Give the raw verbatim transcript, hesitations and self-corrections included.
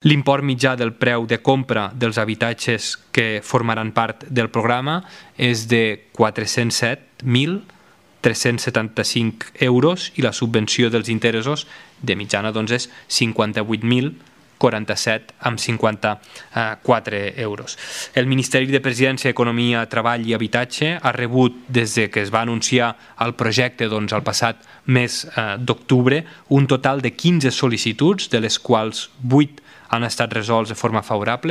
L'import mitjà del preu de compra dels habitatges que formaran part del programa és de quatre-cents set mil tres-cents setanta-cinc euros i la subvenció dels interessos de mitjana doncs, és cinquanta-vuit mil quaranta-set amb cinquanta-quatre euros. El Ministeri de Presidència, Economia, Treball i Habitatge ha rebut, des que es va anunciar el projecte doncs, el passat mes eh, d'octubre, un total de quinze sol·licituds, de les quals vuit han estat resolts de forma favorable.